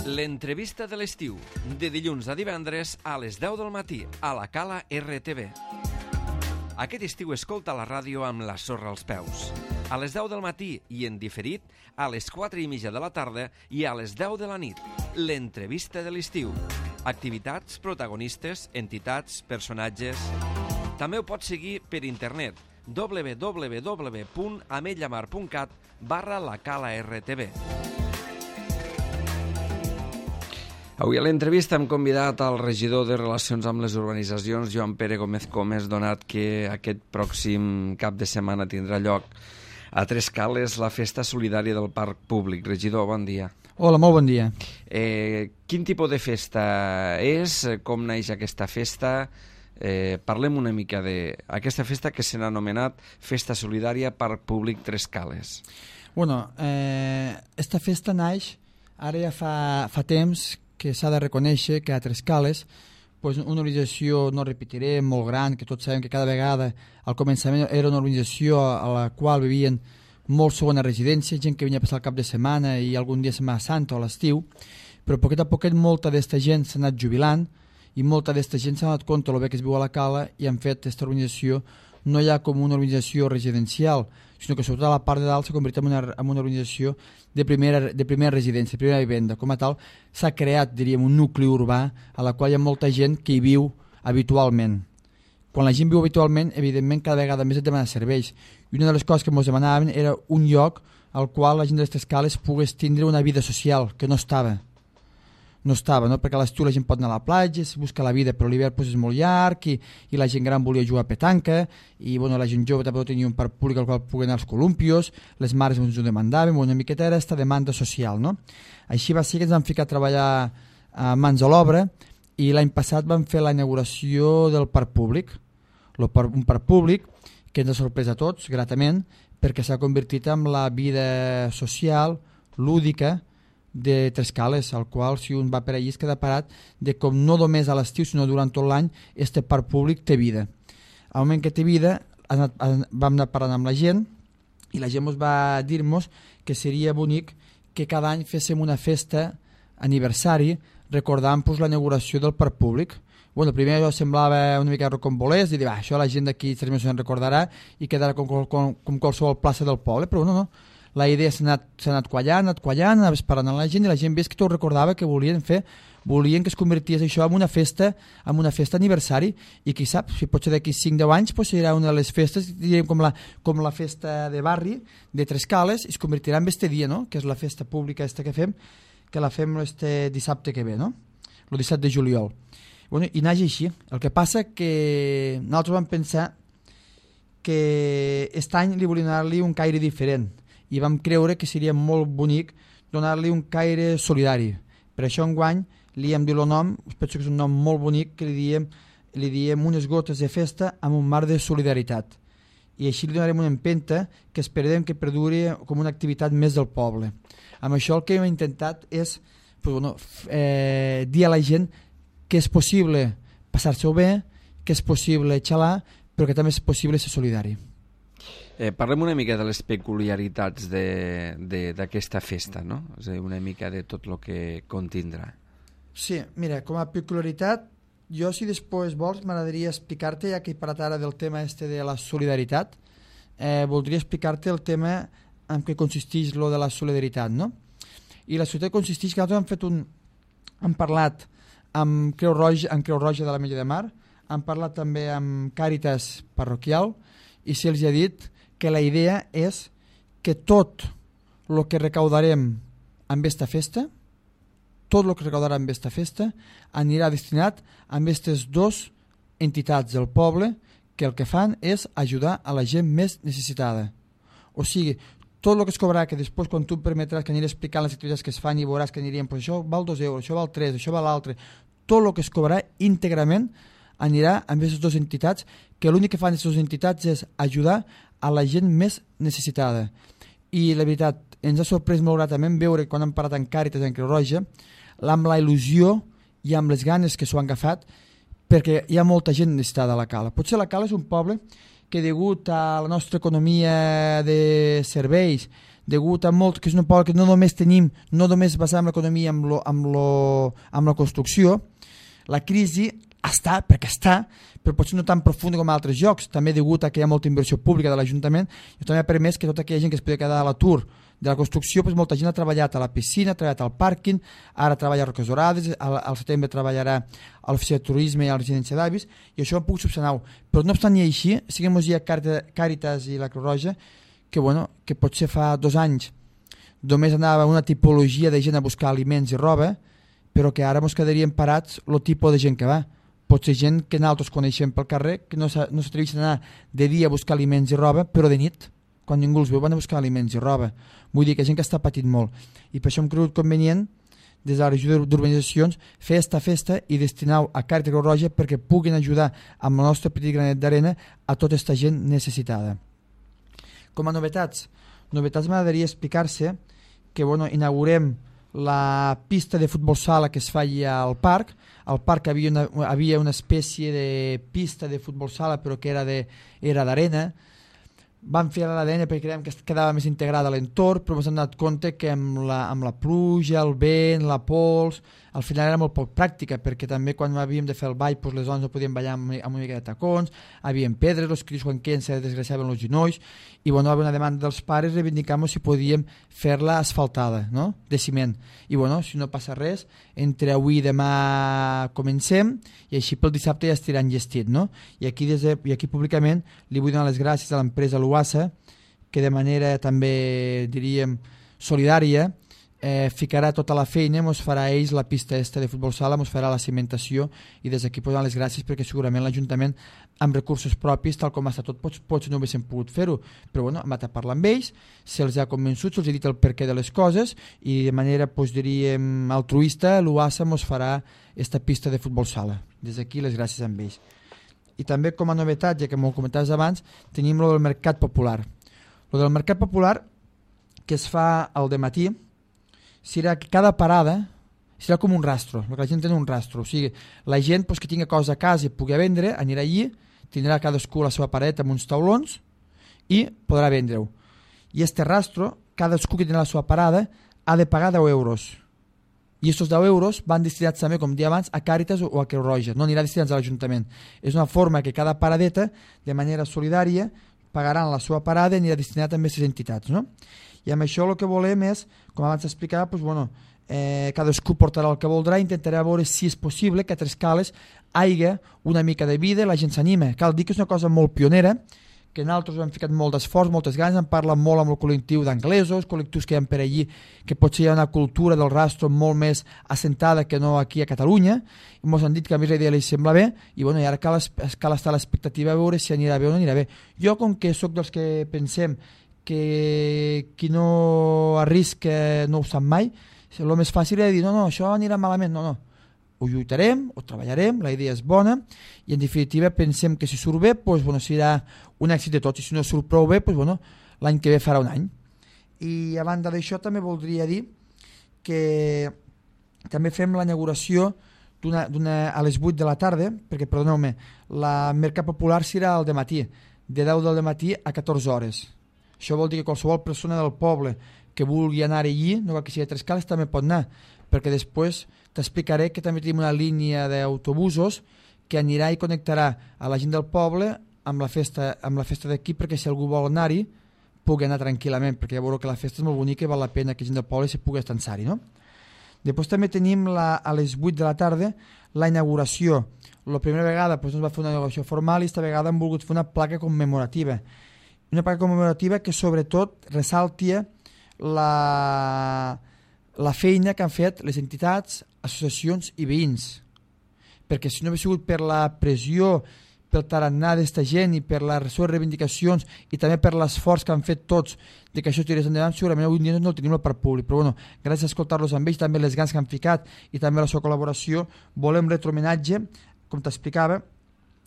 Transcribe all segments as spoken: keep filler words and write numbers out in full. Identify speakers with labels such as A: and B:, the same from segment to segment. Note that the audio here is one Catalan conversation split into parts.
A: L'entrevista de l'estiu, de dilluns a divendres a les deu del matí, a la Cala R T V. Aquest estiu escolta la ràdio amb la sorra als peus. A les deu del matí i en diferit, a les quatre i mitja de la tarda i a les deu de la nit. L'entrevista de l'estiu. Activitats, protagonistes, entitats, personatges... També ho pots seguir per internet w w w punt ametlla mar punt cat barra la Cala R T V. Avui a l'entrevista hem convidat al regidor de Relacions amb les Urbanitzacions, Joan Pere Gómez Comes, donat que aquest pròxim cap de setmana tindrà lloc a Tres Cales la festa solidària del Parc Públic. Regidor, bon dia.
B: Hola, molt bon dia.
A: Eh, quin tipus de festa és? Com naix aquesta festa? Eh, parlem una mica d'aquesta festa que s'ha anomenat Festa Solidària Parc Públic Tres Cales.
B: Bueno, eh, esta festa naix ara ja fa, fa temps que s'ha de reconèixer que a Tres Cales pues, una organització, no repetiré, molt gran, que tots sabem que cada vegada al començament era una organització a la qual vivien molt segona residència, gent que venia a passar el cap de setmana i algun dia Setmana Santa o l'estiu, però poquet a poquet molta d'esta gent s'ha anat jubilant i molta d'esta gent s'ha donat compte del bé que es viu a la Cala i han fet aquesta organització no ja com una organització residencial, sinó que sobretot a la part de dalt s'ha convertit en una, en una organització de primera, de primera residència, de primera vivenda. Com a tal, s'ha creat, diríem, un nucli urbà a la qual hi ha molta gent que hi viu habitualment. Quan la gent viu habitualment, evidentment, cada vegada més et demana serveis. I una de les coses que ens demanaven era un lloc al qual la gent d'aquestes cales pogués tindre una vida social, que no estava. no estava, no? Perquè a l'estiu la gent pot anar a la platja, es busca la vida, però l'hivern pues, és molt llarg i, i la gent gran volia jugar a petanca i bueno, la gent jove també tenia un parc públic al qual pogués anar als columpios, les mares ens ho demandaven, una miqueta era aquesta demanda social, no? Així va ser que ens vam ficar a treballar a mans a l'obra i l'any passat vam fer la inauguració del parc públic, un parc públic que ens ha sorprès a tots, gratament, perquè s'ha convertit en la vida social, lúdica, de Tres Cales, al qual si un va per allí es queda parat de com no només a l'estiu sinó durant tot l'any este parc públic té vida. Al moment que té vida anat, vam anar parlant amb la gent i la gent ens va dir-nos que seria bonic que cada any féssim una festa aniversari recordant pues, la inauguració del parc públic. Bueno, primer això semblava una mica rocambolès i dir, va, això la gent d'aquí tres mesos se'n recordarà i quedarà com, com, com qualsevol plaça del poble, però no, no. La idea s'ha anat, s'ha anat quallant, anat quallant, anaves parlant amb la gent i la gent ves que tot recordava que volien fer, volien que es convertís això en una festa, en una festa aniversari i qui sap, si potser d'aquí cinc deu anys pues, serà una de les festes, diríem com la, com la festa de barri de Tres Cales i es convertirà en este dia, no? Que és la festa pública esta que fem, que la fem este dissabte que ve, no? El disset de juliol. Bueno, i naix així. El que passa que nosaltres vam pensar que aquest any li volíem donar-li un caire diferent i vam creure que seria molt bonic donar-li un caire solidari. Per això enguany li hem dit el nom, penso que és un nom molt bonic, que li diem, li diem unes gotes de festa amb un mar de solidaritat. I així li donarem una empenta que esperem que perduri com una activitat més del poble. Amb això el que hem intentat és pues, bueno, eh, dir a la gent que és possible passar-se-ho bé, que és possible xalar, però que també és possible ser solidari.
A: Eh, parlem una mica de les peculiaritats d'aquesta festa, no? És a dir, una mica de tot el que contindrà.
B: Sí, mira, com a peculiaritat, jo si després vols m'agradaria explicar-te, ja que he parlat ara del tema este de la solidaritat, eh, voldria explicar-te el tema en què consisteix lo de la solidaritat, no? I la solidaritat consisteix que nosaltres hem fet un... hem parlat amb Creu Roja, amb Creu Roja de la Mella de Mar, hem parlat també amb Càritas Parroquial i se'ls ha dit que la idea és que tot el que recaudarem amb aquesta festa, tot el que recaudarà amb aquesta festa, anirà destinat a aquestes dues entitats del poble que el que fan és ajudar a la gent més necessitada. O sigui, tot el que es cobrarà, que després quan tu em permetràs que aniré explicant les activitats que es fan i veuràs que anirien, pues això val dos euros, això val tres, això val l'altre, tot el que es cobrarà íntegrament anirà amb aquestes dues entitats, que l'únic que fan aquestes dues entitats és ajudar a la gent més necessitada. I la veritat, ens ha sorprès molt gratament veure quan hem parlat amb Càritas en Creu Roja, amb la il·lusió i amb les ganes que s'ho han agafat, perquè hi ha molta gent necessitada a la Cala. Potser la Cala és un poble que degut a la nostra economia de serveis, degut a molt, que és un poble que no només tenim, no només basem l'economia amb, lo, amb, lo, amb la construcció, la crisi està, perquè està, però potser no tan profunda com altres llocs, també degut a que hi ha molta inversió pública de l'Ajuntament, i també ha permès que tota aquella gent que es podia quedar a l'atur de la construcció, doncs molta gent ha treballat a la piscina, ha treballat al pàrquing, ara treballa a Roques Dorades, al, al setembre treballarà a l'oficina de turisme i a la residència d'avis, i això ho puc subsanar. Però no obstant i així, siguem ja Càritas i la Creu Roja, que, bueno, que potser fa dos anys només anava una tipologia de gent a buscar aliments i roba, però que ara ens quedarien parats el tipus de gent que va. Pot ser gent que nosaltres coneixem pel carrer, que no s'atreveixen a anar de dia a buscar aliments i roba, però de nit, quan ningú els veu, van a buscar aliments i roba. Vull dir que gent que està patint molt. I per això hem cregut convenient, des de la regió d'urbanitzacions, fer esta festa i destinar-ho a Càritas Creu Roja perquè puguin ajudar amb el nostre petit granet d'arena a tota aquesta gent necessitada. Com a novetats, novetats m'agradaria explicar-se que bueno, inaugurem la pista de futbol sala que es feia al parc. Al parc havia una, havia una espècie de pista de futbol sala però que era de, era d'arena. Vam fer l'A D N perquè creiem que quedava més integrada a l'entorn, però ens hem donat compte que amb la, amb la pluja, el vent, la pols, al final era molt poc pràctica, perquè també quan havíem de fer el ball, doncs les dones no podien ballar amb, amb una mica de tacons, havien pedres, els cris quan queden se desgraciaven els genolls, i bueno, hi havia una demanda dels pares reivindicant si podíem fer-la asfaltada, no? De ciment. I bueno, si no passa res, entre avui i demà comencem, i així pel dissabte ja estiran gestit, no? I aquí, des de, i aquí públicament li vull donar les gràcies a l'empresa Luassa, que de manera també, diríem, solidària, eh, ficarà tota la feina, ens farà ells la pista esta de futbol sala, ens farà la cimentació, i des d'aquí posant les gràcies perquè segurament l'Ajuntament amb recursos propis, tal com està tot, pots, pots no haguéssim pogut fer-ho, però bueno, hem anat a parlar amb ells, se'ls ha convençut, se'ls ha dit el perquè de les coses, i de manera, doncs, diríem, altruista, l'U A S A ens farà esta pista de futbol sala. Des d'aquí les gràcies amb ells. I també com a novetat, ja que m'ho comentaves abans, tenim lo del Mercat Popular. Lo del Mercat Popular, que es fa al dematí, serà que cada parada serà com un rastro, el que la gent té un rastro, o sigui, la gent pues, que tingui cosa a casa i pugui vendre, anirà allí, tindrà cadascú la seva paradeta amb uns taulons i podrà vendre-ho. I este rastro, cadascú que tindrà la seva parada ha de pagar deu euros. I aquests deu euros van destinats també, com dia abans, a Càritas o a Creu Roja, no anirà destinats a l'Ajuntament. És una forma que cada paradeta, de manera solidària, pagaran la seva parada i anirà destinat també a aquestes entitats, no? I amb això el que volem és, com abans explicava, doncs, bueno, eh, cadascú portarà el que voldrà, intentarà veure si és possible que a Trescales hi hagi una mica de vida i la gent s'anima. Cal dir que és una cosa molt pionera, que nosaltres hem ficat molt d'esforç, moltes ganes, hem parlat molt amb el col·lectiu d'anglesos, col·lectius que hi ha per allí, que potser hi ha una cultura del rastro molt més assentada que no aquí a Catalunya, i ens han dit que a més la idea li sembla bé, i, bueno, i ara cal, cal estar a l'expectativa a veure si anirà bé o no anirà bé. Jo, com que sóc dels que pensem que qui no arrisca no ho sap mai, el més fàcil és dir, no, no, això anirà malament, no, no. Ho lluitarem, ho treballarem, la idea és bona i en definitiva pensem que si surt bé doncs, bueno, serà un èxit de tots i si no surt prou bé, doncs, bueno, l'any que ve farà un any. I a banda d'això també voldria dir que també fem la inauguració d'una, d'una, a les vuit de la tarda, perquè perdoneu-me, la Mercat Popular serà al dematí, de deu del matí a catorze hores. Això vol dir que qualsevol persona del poble que vulgui anar allí, no cal que sigui a Trescales, també pot anar, perquè després t'explicaré que també tenim una línia d'autobusos que anirà i connectarà a la gent del poble amb la festa, amb la festa d'aquí, perquè si algú vol anar-hi pugui anar tranquil·lament, perquè ja veureu que la festa és molt bonica i val la pena que gent del poble se pugui estansar-hi, no? Després també tenim la, a les vuit de la tarda la inauguració. La primera vegada doncs, ens va fer una inauguració formal i esta vegada hem volgut fer una placa commemorativa. Una placa commemorativa que sobretot ressaltia la, la feina que han fet les entitats, associacions i veïns. Perquè si no hagués sigut per la pressió, pel tarannà d'esta gent i per les seves reivindicacions i també per l'esforç que han fet tots de que això tirés endavant, segurament avui dia no el tenim al parc públic. Però bueno, gràcies a escoltar-los amb ells, també les ganes que han ficat i també la seva col·laboració, volem retre homenatge, com t'explicava,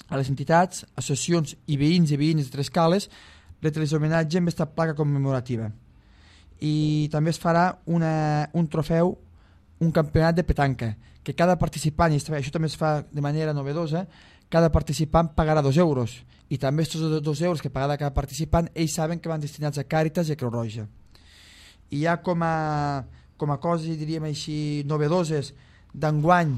B: a les entitats, associacions i veïns i veïnes de Trescales, retre homenatge amb aquesta placa commemorativa. I també es farà una, un trofeu, un campionat de petanca, que cada participant, i això també es fa de manera novedosa, cada participant pagarà dos euros i també aquests dos euros que pagarà cada participant ells saben que van destinats a Càritas i a Creu Roja. I ja com a, com a coses, diríem així, novedoses d'enguany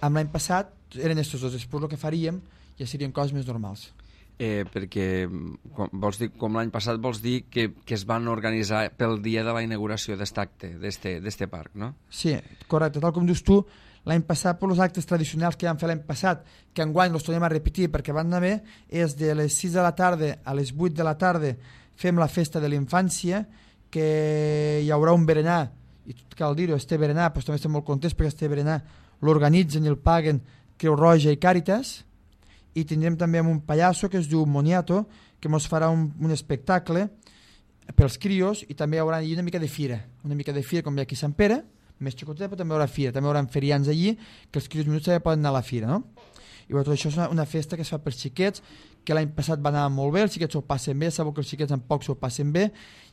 B: amb l'any passat eren aquests dos, després el que faríem ja serien coses més normals.
A: Eh, perquè com, vols dir, com l'any passat vols dir que, que es van organitzar pel dia de la inauguració d'aquest acte, d'aquest parc, no?
B: Sí, correcte, tal com dius tu, l'any passat per els actes tradicionals que vam fer l'any passat, que enguany els tornem a repetir perquè van anar bé, és de les sis de la tarda a les vuit de la tarda fem la festa de la infància, que hi haurà un berenar, i tot cal dir-ho, este berenar, però també estem molt contents perquè este berenar l'organitzen i el paguen Creu Roja i Càritas, i tindrem també un pallasso que es diu Moniato, que ens farà un, un espectacle pels crios, i també hi haurà una mica de fira, una mica de fira com hi ha aquí a Sant Pere, més xicoteta, però també hi haurà fira, també hi haurà ferians allí, que els crios minuts també poden anar a la fira, no? I bueno, tot això és una, una festa que es fa pels xiquets, que l'any passat va anar molt bé, els xiquets s'ho passen bé, sabeu que els xiquets en poc s'ho passen bé,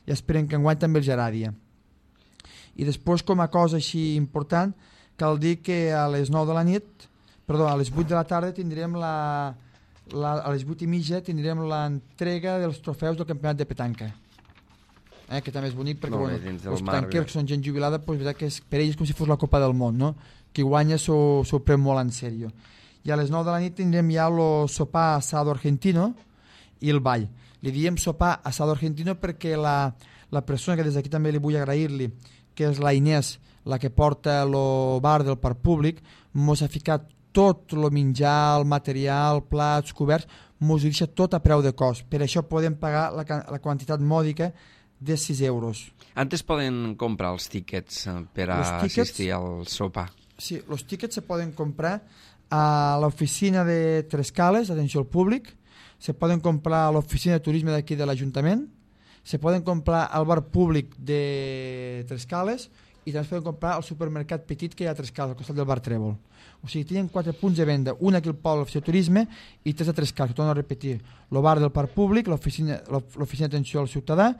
B: i esperen que enguany també els agradi. I després, com a cosa així important, cal dir que a les nou de la nit, perdó, a les vuit de la tarda tindrem la, la a les vuit i mitja tindrem l'entrega dels trofeus del campionat de petanca. Eh, que també és bonic perquè
A: no,
B: bueno,
A: els
B: petanquers que són gent jubilada, pues, que és, per ells és com si fos la Copa del Món, no? Qui guanya s'ho pren molt en sèrio. I a les nou de la nit tindrem ja el sopar asado argentino i el ball. Li diem sopar asado argentino perquè la, la persona que des d'aquí també li vull agrair-li, que és la Inés, la que porta el bar del parc públic, mos ha ficat tot el menjar, el material, plats, coberts, mos ho deixa tot a preu de cost. Per això podem pagar la, la quantitat mòdica de sis euros.
A: Antes poden comprar els tíquets per a tickets, assistir al sopar?
B: Sí, els tíquets se poden comprar a l'oficina de Trescales, atenció al públic, se poden comprar a l'oficina de turisme d'aquí de l'Ajuntament, se poden comprar al bar públic de Trescales i també es poden comprar al supermercat petit que hi ha a Trescales, al costat del bar Trèvol. O sigui, tenen quatre punts de venda, un aquí al poble, l'oficina de turisme, i tres a Trescales, que torno a repetir, el bar del parc públic, l'oficina d'atenció al ciutadà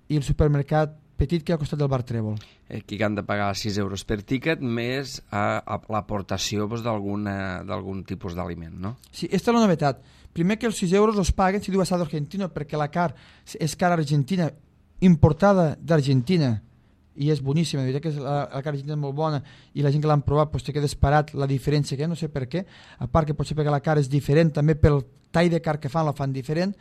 B: i el supermercat petit que hi ha al costat del bar Trèvol.
A: Eh, que han de pagar sis euros per tíquet més a, a l'aportació doncs, d'algun tipus d'aliment, no?
B: Sí, aquesta és la novetat. Primer que els sis euros els paguen si diu asado argentino, perquè la car és car argentina, importada d'Argentina, i és boníssima, de veritat que la, la carn argentina és molt bona i la gent que l'han provat pues, te queda esperat la diferència que hi ha, no sé per què, a part que potser perquè la carn és diferent, també pel tall de carn que fan la fan diferent,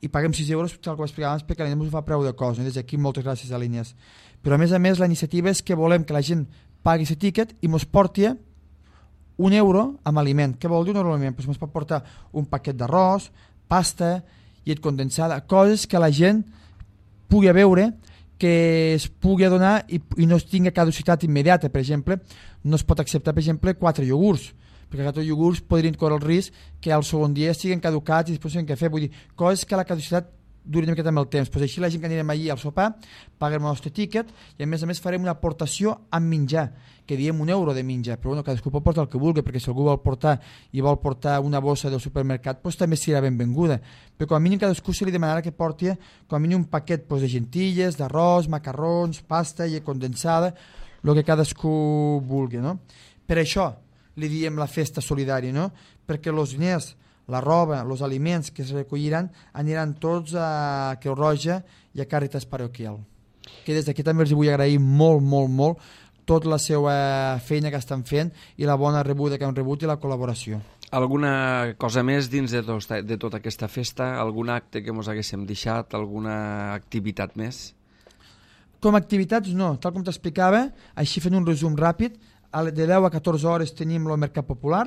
B: i paguem sis euros, tal com explicava abans, perquè la gent ens ho fa preu de cost, no? Des d'aquí moltes gràcies a línies. Però a més a més la iniciativa és que volem que la gent pagui aquest tiquet i mos porti un euro amb aliment. Què vol dir un euro amb aliment? Pues mos pot portar un paquet d'arròs, pasta, llet condensada, coses que la gent pugui veure, que es pugui donar i, i no es tingui caducitat immediata. Per exemple, no es pot acceptar, per exemple, quatre iogurts, perquè aquests iogurts podrien córrer el risc que al segon dia estiguen caducats i després no què fer. Vull dir, coses que la caducitat duri una miqueta amb el temps. Pues així la gent que anirem allí al sopar paguem el nostre tíquet i a més a més farem una aportació amb menjar, que diem un euro de menjar, però bueno, cadascú pot portar el que vulgui, perquè si algú vol portar i vol portar una bossa del supermercat, pues també serà benvinguda. Però com a mínim cadascú se li demanarà que porti com a mínim un paquet pues, de gentilles, d'arròs, macarrons, pasta, llet condensada, el que cadascú vulgui, no? Per això li diem la festa solidària, no? Perquè els diners, la roba, els aliments que es recolliran aniran tots a Creu Roja i a Càritas Paroquial. Que des d'aquí també els vull agrair molt, molt, molt tota la seva feina que estan fent i la bona rebuda que han rebut i la col·laboració.
A: Alguna cosa més dins de, tot, de tota aquesta festa? Algun acte que ens haguéssim deixat? Alguna activitat més?
B: Com a activitats no, tal com t'explicava, així fent un resum ràpid, de deu a catorze hores tenim el Mercat Popular,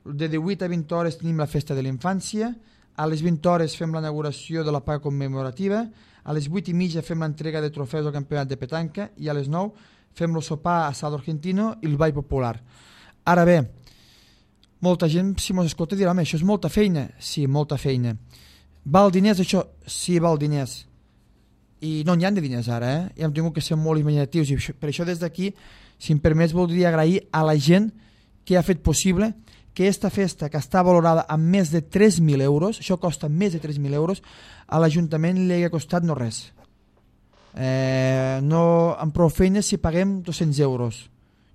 B: de divuit a vint hores tenim la Festa de la Infància, a les vint hores fem l'inauguració de la paga commemorativa, a les vuit i mitja fem l'entrega de trofeus del campionat de petanca i a les nou fem el sopar asado argentino i el ball popular. Ara bé, molta gent, si mos escolta, dirà, home, això és molta feina. Sí, molta feina. Val diners, això? Sí, val diners. I no n'hi ha de diners ara, eh? I hem tingut que ser molt imaginatius. I per això des d'aquí, si em permets, voldria agrair a la gent que ha fet possible que aquesta festa, que està valorada amb més de tres mil euros, això costa més de tres mil euros, a l'Ajuntament li ha costat no res. Eh, no, amb prou feines si paguem dos-cents euros.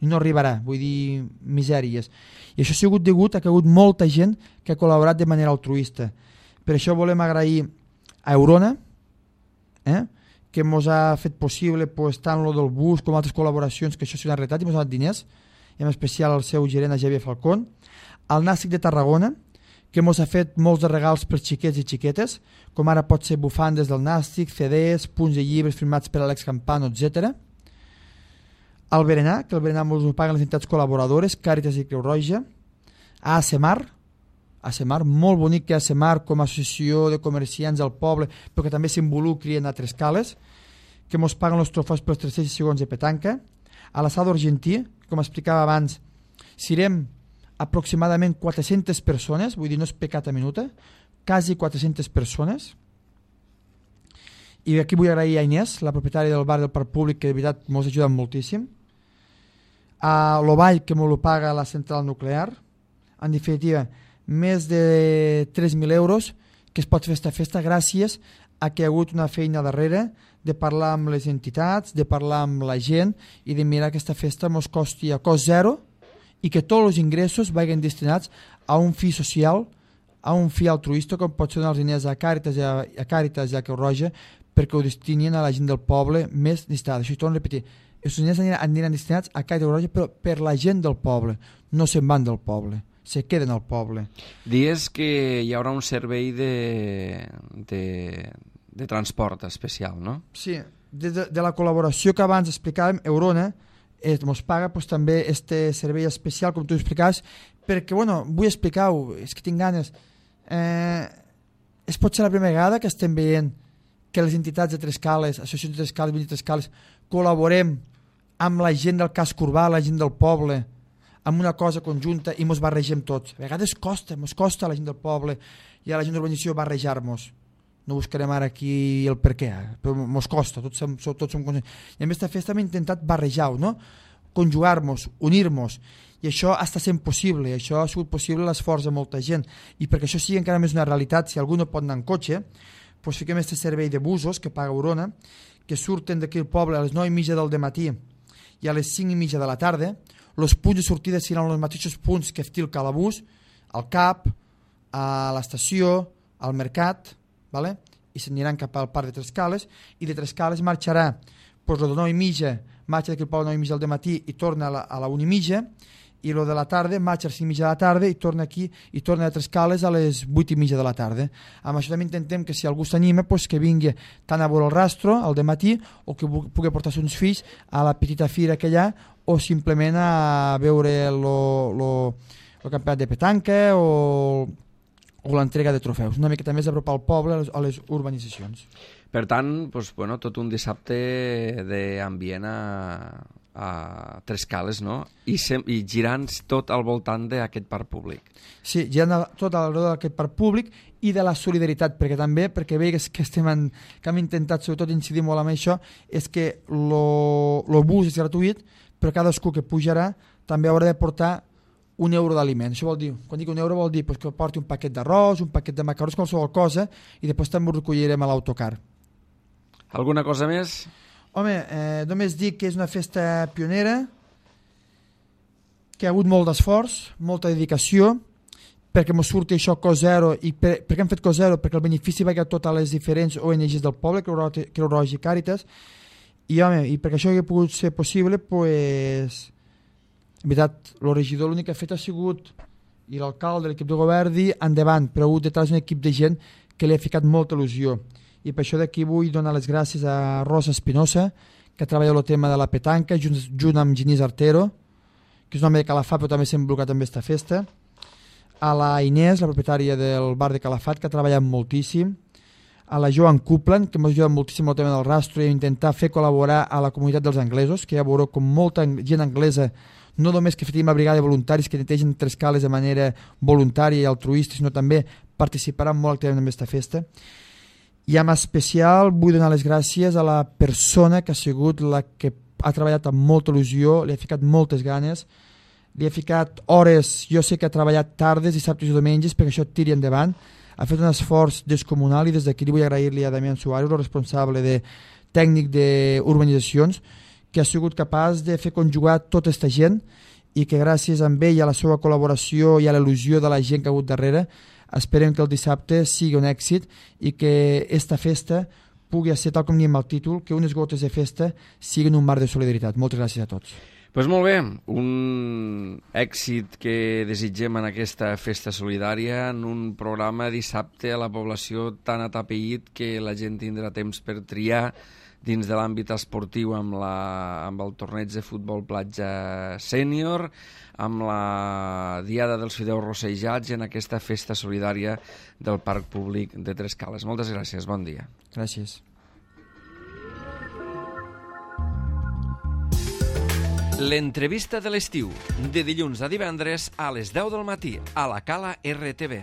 B: i no arribarà, vull dir, misèries. I això ha sigut degut a que ha hagut molta gent que ha col·laborat de manera altruista. Per això volem agrair a Eurona, eh? que ens ha fet possible pues, tant lo del bus com altres col·laboracions, que això s'ha realitat i ens ha donat diners, i en especial al seu gerent, a Javier Falcón, al Nàstic de Tarragona, que ens ha fet molts de regals per xiquets i xiquetes, com ara pot ser bufandes del Nàstic, C Ds, punts de llibres firmats per Alex Campano, etcètera. Al Berenar, que el Berenar ens ho paguen les entitats col·laboradores, Càritas i Creu Roja. A ASEMAR, ASEMAR, molt bonic que ASEMAR com a associació de comerciants al poble, però que també s'involucri en altres cales, que ens paguen els trofeus pels tres-cents segons de petanca. A l'Assado Argentí, com explicava abans, serem aproximadament quatre-centes persones, vull dir, no és pecat a minuta, quasi quatre-centes persones. I aquí vull agrair a Inés, la propietària del bar del Parc Públic, que de veritat ens ha ajudat moltíssim. A l'Ovall, que ens ho paga la central nuclear. En definitiva, més de tres mil euros que es pot fer aquesta festa gràcies a que hi ha hagut una feina darrere de parlar amb les entitats, de parlar amb la gent i de mirar que aquesta festa ens costi a cost zero i que tots els ingressos vagin destinats a un fi social, a un fi altruista, com pot ser donar els diners a Càritas i a, a, Càritas i a Creu Roja, perquè ho destinin a la gent del poble més necessitada. Això ho torno a repetir. Els diners aniran, aniran destinats a Càritas i Creu Roja, però per la gent del poble. No se'n van del poble, se queden al poble.
A: Dies que hi haurà un servei de, de, de transport especial, no?
B: Sí, de, de, de la col·laboració que abans explicàvem, Eurona eh, ens paga pues, també este servei especial, com tu explicaves, perquè, bueno, vull explicar-ho, és que tinc ganes. Eh, és pot ser la primera vegada que estem veient que les entitats de Trescales, associacions de Trescales, vint Trescales, col·laborem amb la gent del casc urbà, la gent del poble, amb una cosa conjunta i ens barregem tots. A vegades costa, ens costa a la gent del poble i a la gent d'urbanització barrejar-nos. No buscarem ara aquí el per què, però ens costa, tots som, tots som conscients. I a més, aquesta festa hem intentat barrejar-ho, no? Conjugar-nos, unir-nos, i això està sent possible, i això ha sigut possible l'esforç de molta gent, i perquè això sigui encara més una realitat, si algú no pot anar en cotxe, doncs fiquem aquest servei de busos que paga Eurona, que surten d'aquí al poble a les nou i mitja del matí i a les cinc i mitja de la tarda. Els punts de sortida seran els mateixos punts que té el Calabús, al C A P, a l'estació, al mercat, vale? I s'aniran cap al parc de Trescales, i de Trescales marxarà, doncs el de nou i mitja, marxa d'aquí al poble a nou i mitja del matí i torna a la, a la una i mitja, i el de la tarda marxa a les cinc i mitja de la tarda i torna aquí i torna a Trescales a les vuit i mitja de la tarda. Amb això també intentem que si algú s'anima pues, que vingui tant a veure el rastro al dematí o que pugui portar uns fills a la petita fira que hi ha o simplement a veure el campionat de petanca o, o l'entrega de trofeus. Una miqueta més apropar al poble a les, a les urbanitzacions.
A: Per tant, doncs, bueno, tot un dissabte d'ambient a, a Trescales, no? I, sem i girant tot al voltant d'aquest parc públic.
B: Sí, girant tot al voltant d'aquest parc públic i de la solidaritat, perquè també, perquè veig que, estem en, que hem intentat sobretot incidir molt amb això, és que el bus és gratuït, però cadascú que pujarà també haurà de portar un euro d'aliment. Això vol dir, quan dic un euro vol dir pues, que porti un paquet d'arròs, un paquet de macarrons, qualsevol cosa, i després també ho recollirem a l'autocar.
A: Alguna cosa més?
B: Home, eh, només dic que és una festa pionera, que ha hagut molt d'esforç, molta dedicació, perquè ens surti això cost zero, i per, per què hem fet cost zero? Perquè el benefici va a totes les diferents O N Gs del poble, Creu Roja i Càritas, i home, i perquè això hagi pogut ser possible, pues, en veritat, el regidor l'únic que ha fet ha sigut, i l'alcalde, l'equip de govern, dir endavant, però ha hagut detrás un equip de gent que li ha ficat molta il·lusió. I per això d'aquí vull donar les gràcies a Rosa Espinosa, que treballa el tema de la petanca, junt, junt amb Genís Artero, que és un home de Calafat, però també s'ha involucrat en aquesta festa, a la Inés, la propietària del bar de Calafat, que ha treballat moltíssim, a la Joan Coupland, que m'ha ajudat moltíssim el tema del rastro i intentar fer col·laborar a la comunitat dels anglesos, que ja veureu com molta gent anglesa, no només que fetim una brigada de voluntaris que netegen Trescales de manera voluntària i altruista, sinó també participaran molt activament en aquesta festa. I en especial vull donar les gràcies a la persona que ha sigut la que ha treballat amb molta il·lusió, li ha ficat moltes ganes, li ha ficat hores, jo sé que ha treballat tardes, dissabtes i diumenges perquè això tiri endavant, ha fet un esforç descomunal i des d'aquí vull agrair-li a Damián Suárez, el responsable de tècnic d'urbanitzacions, que ha sigut capaç de fer conjugar tota aquesta gent i que gràcies a ell, a la seva col·laboració i a l'il·lusió de la gent que ha hagut darrere, esperem que el dissabte sigui un èxit i que aquesta festa pugui ser, tal com diem el títol, que unes gotes de festa siguin un mar de solidaritat. Moltes gràcies a tots.
A: Doncs pues molt bé, un èxit que desitgem en aquesta festa solidària, en un programa dissabte a la població tan atapeït que la gent tindrà temps per triar dins de l'àmbit esportiu amb, la, amb el torneig de futbol platja sènior, amb la Diada dels Fideus Rossejats i en aquesta festa solidària del Parc Públic de Trescales. Moltes gràcies, bon dia.
B: Gràcies.
A: L'entrevista de l'estiu, de dilluns a divendres a les deu del matí, a la Cala R T V.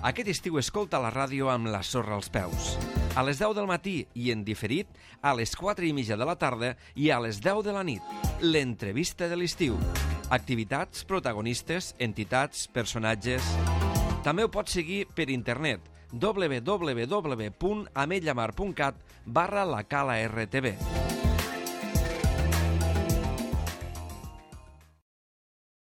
A: Aquest estiu escolta la ràdio amb la sorra als peus. A les deu del matí i en diferit, a les quatre i mitja de la tarda i a les deu de la nit. L'entrevista de l'estiu. Activitats, protagonistes, entitats, personatges... També ho pots seguir per internet w w w punt ametlllamar punt cat barra la Cala R T V.